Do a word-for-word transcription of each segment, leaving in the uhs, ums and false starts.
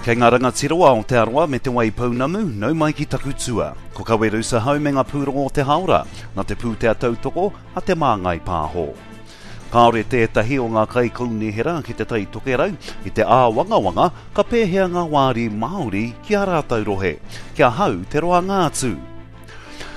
Kei ngā rangatira o Aotearoa me Te Waipounamu, nau mai ki taku tua. Ko Kawerusa hau me ngā pūrongo o te haora, nā te pūtea tautoko a Te Māngai Pāho. Kāore tētahi o ngā kaikaunihera ki Te Tai Tokerau i te āwangawanga ka pēhea ngā wāri Māori ki ā rātou rohe, kia hau te roanga atu.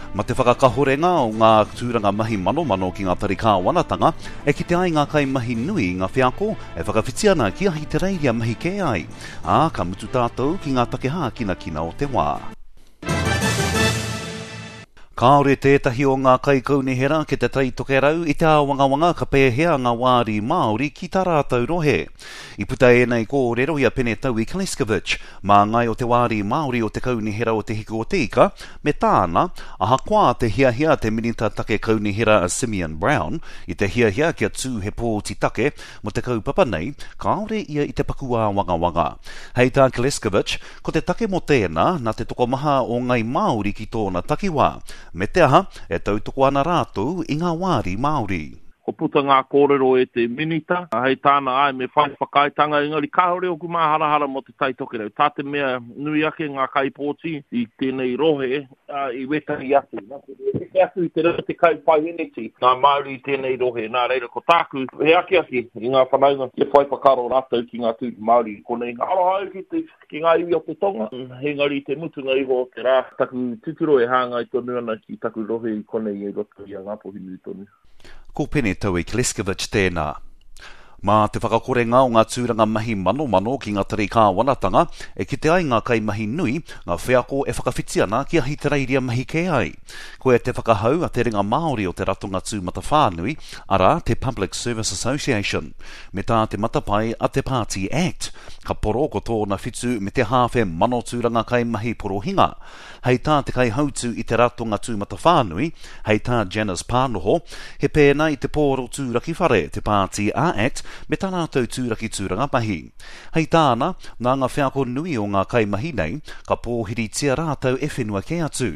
Ma te whakakahorenga o ngā tūranga mahi manomano ki ngā tari kāwanatanga, e kite ai ngā kaimahi nui ngā wheako e whakawhiti ana ki Ahitereiria mahi kē ai, ā, ka mutu tātou ki ngā take hākinakina o te wā. Kāore tētahi o ngā kaikaunihera ki Te Tai Tokerau i te āwangawanga ka pēhea ngā wāri Māori ki tā rātou rohe. I puta ēnei kōrero i a Pene Taui Kleskovic, māngai o te wāri Māori o te Kaunihera o Te Hiku o Te Ika, me tāna, ahakoa te hiahia te minita take kaunihera a Simeon Brown, i te hiahia kia tū he pōti take mō te kaupapa nei, kāore ia i te paku āwangawanga. Hei tā Kleskovic, ko te take mō tēnā, nā te tokomaha o ngai Māori ki tōna takiwā, me te aha, e tautoko ana rātou i ngā wāri Māori. Ko puta ngā kōrero e te minita, hei tāna ai me whai whakaaetanga, engari kāore oku māharahara mō Te Tai Tokerau. Tā te mea nui ake ngā kaipōti i tēnei rohe i wētahi atu. Nā te mea, heke atu i te rau tekau paeheneti ngā Māori i tēnei rohe. Nā reira, ko tāku, he akiaki i ngā whanaunga kia whai whakaaro rātou ki ngā tūru Māori i konei. Aroha au ki te, ki ngā iwi o te tonga, engari i te mutunga iho o te rā, taku titiro e hāngai tonu ana ki taku rohe i konei i roto i a Ngāpuhi nui tonu. Ko Pene Taui Kleskovic tēnā. Mā te whakakorenga o ngā tūranga mahi manomano ki ngā tari kāwanatanga, e kite ai ngā kaimahi nui, ngā wheako e whakawhiti ana ki Ahitereiria mahi kē ai. Koia te whakahau a te ringa Māori o te Ratonga Tūmatawhānui, arā, te Public Service Association. Me tā te matapae a te Pāti Act, ka poro ko tōna whitu me te hāwhe mano tūranga kaimahi porohinga. Hei tā te kaihautū i te Ratonga Tūmatawhānui, hei tā Janice Pānoho, he pēnā i te pōro tūraki whare, te Pāti a-Act, me tā rātou tūraki tūranga mahi. Hei tāna, nā ngā wheako nui o ngā kaimahi nei, ka pōhiritia rātou e whenua kē atu.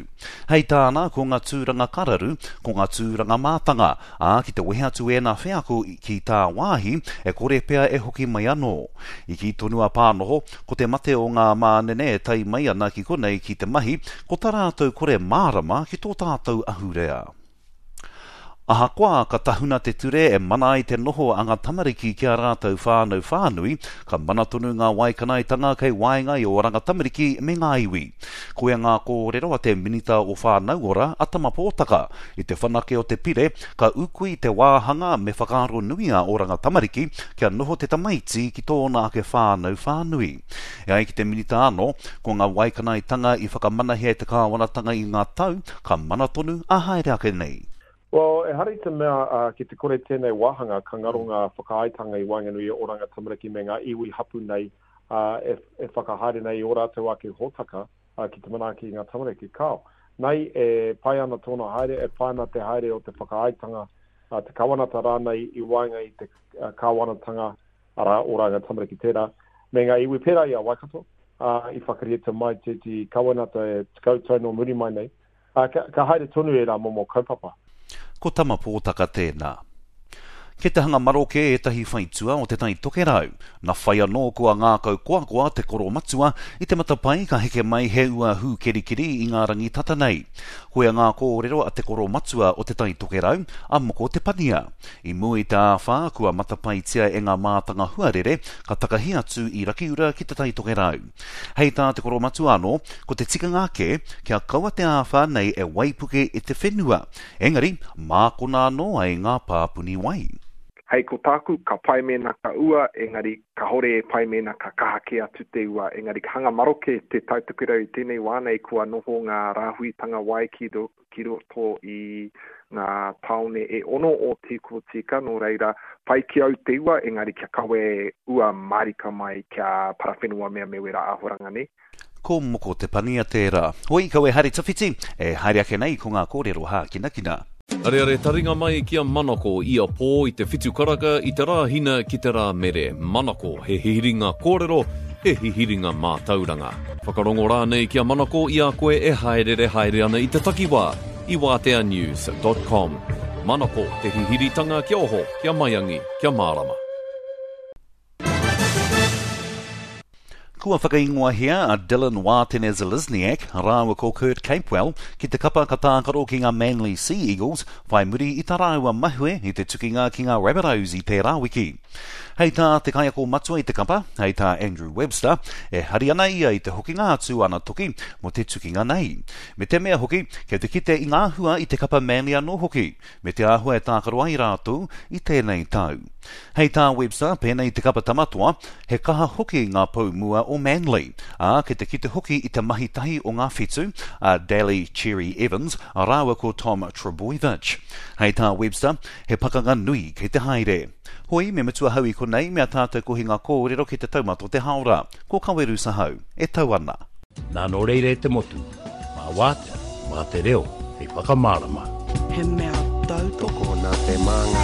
Hei tāna, ko ngā tūranga kararu, ko ngā tūranga mātanga, ā, ki te wehe atu ēnā wheako ki tāwāhi, e kore pea e hoki mai anō. I kī tonu a Pānoho, ko te mate o ngā mānene e tae mai ana ki konei ki te mahi, ko tā rātou kore mārama ki tō tātou ahurea. Ahakoa ka tahuna te ture e mana ai te noho a ngā tamariki ki ā rātou whānau whānui, ka mana tonu ngā waikanaetanga kei waenga i Oranga Tamariki me ngā iwi. Koia ngā kōrero a te Minita o Whānau Ora, a Tama Pōtaka, i te whanake o te pire, ka ūkui te wāhanga me whakaaro nui a Oranga Tamariki kia noho te tamaiti ki tōna ake whānau whānui. E ai ki te Minita anō, ko ngā waikanaetanga i whakamanahia e te kāwanatanga i ngā tau, ka mana tonu a haere ake nei. Well, ehara i te mea uh, ki te kore tēnei wāhanga ka ngaro ngā whakaaetanga i waenganui i Oranga Tamariki me ngā iwi hapu nei uh, e, e whakahaere nei i ō rātou ake hōtaka uh, ki te manaaki i ngā tamariki. Kāo, nei e pai ana tōna haere, e pai ana te haere o te whakaaetanga, uh, te kawanata rānei i waenga i te uh, kāwanatanga, arā, Oranga Tamariki tērā, me ngā iwi pērā i a Waikato, uh, i whakaritea mai tētehi kawenata e tekau tau nō muri mai nei, uh, ka, ka haere tonu ērā momo kaupapa. Ko Tama Pōtaka tēnā. Kei te hanga maroke ētahi whaitua o Te Tai Tokerau. Na whai anō kua ngākau koakoa te koromatua i te matapae ka heke mai he ua hūkerikeri i ngā rangi tata nei. Koia ngā kōrero a te koromatua o Te Tai Tokerau, a Moko Te Pania. I mua i te āwhā kua matapaetia e ngā mātanga huarere ka takahi atu i Rakiura ki Te Tai Tokerau. Hei tā te koromatua anō, ko te tikanga ake, kia kaua te āwhā nei e waipuke i te whenua, engari mākona anō ai ngā pāpuni wai. Hei ko tāku, ka pai mēnā ka ua, engari kahore e pai mēnā ka kaha kē atu te ua. Engari ka hanga maroke Te Tai Tokerau i tēnei wā nei kua noho ngā rāhuitanga wai ki, ki roto i ngā tāone e ono o Te Ika, nō reira, pai ki au te ua, engari kia kawe ua mārika mai kia parawhenua mea me wera āhuranga nei. Ko Moko Te Pania tērā. Hoi, kau e haere tawhiti, e haere ake nei ko ngā kōrero hākinakina. Areare taringa mai ki a Manako ia pō i te whitu karaka i te Rāhina ki te Rāmere. Manako, he hihiringa kōrero, he hihiringa mātauranga. Whakarongo rānei ki a Manako i a koe e haerere haere ana i te takiwā i wātea news dot com. Manako, te hihiritanga kia oho, kia maiangi, kia mārama. Kua whakaingoahia a Dylan Wātene-Zelezniak rāua ko Kurt Capewell ki te kapa ka tākaro ki ngā Manly Sea Eagles whai muri i tā rāua mahue i te tukinga ki ngā Rabbitohs i tērā wiki. Hei tā te kaiako matua i te kapa, hei tā Andrew Webster, e hari ana ia i te hokinga atu ana toki mō te tukinga nei. Me te mea hoki, kei te kite i ngā hua i te kapa Manly anō hoki, me te āhua e tākaro ai rātou i tēnei tau. Hei tā Webster, pēnei te kapa tamatoa, he kaha hoki ngā pou mua o Manly, ā, kei te kite hoki i te mahi tahi o ngā whetu, a Daly Cherry Evans, rāua ko Tom Trbojevic. Hei tā Webster, he pakanga nui kei te haere. Hoi, me mutu ahau i konei, mea tātou kohinga kōrero ki te taumata o te haora. Ko Kaweru Sahau, e tau ana. Nā nō reira e te motu, mā wātea, mā te reo, hei whakamārama. He mea tautoko. Tokona te māngai.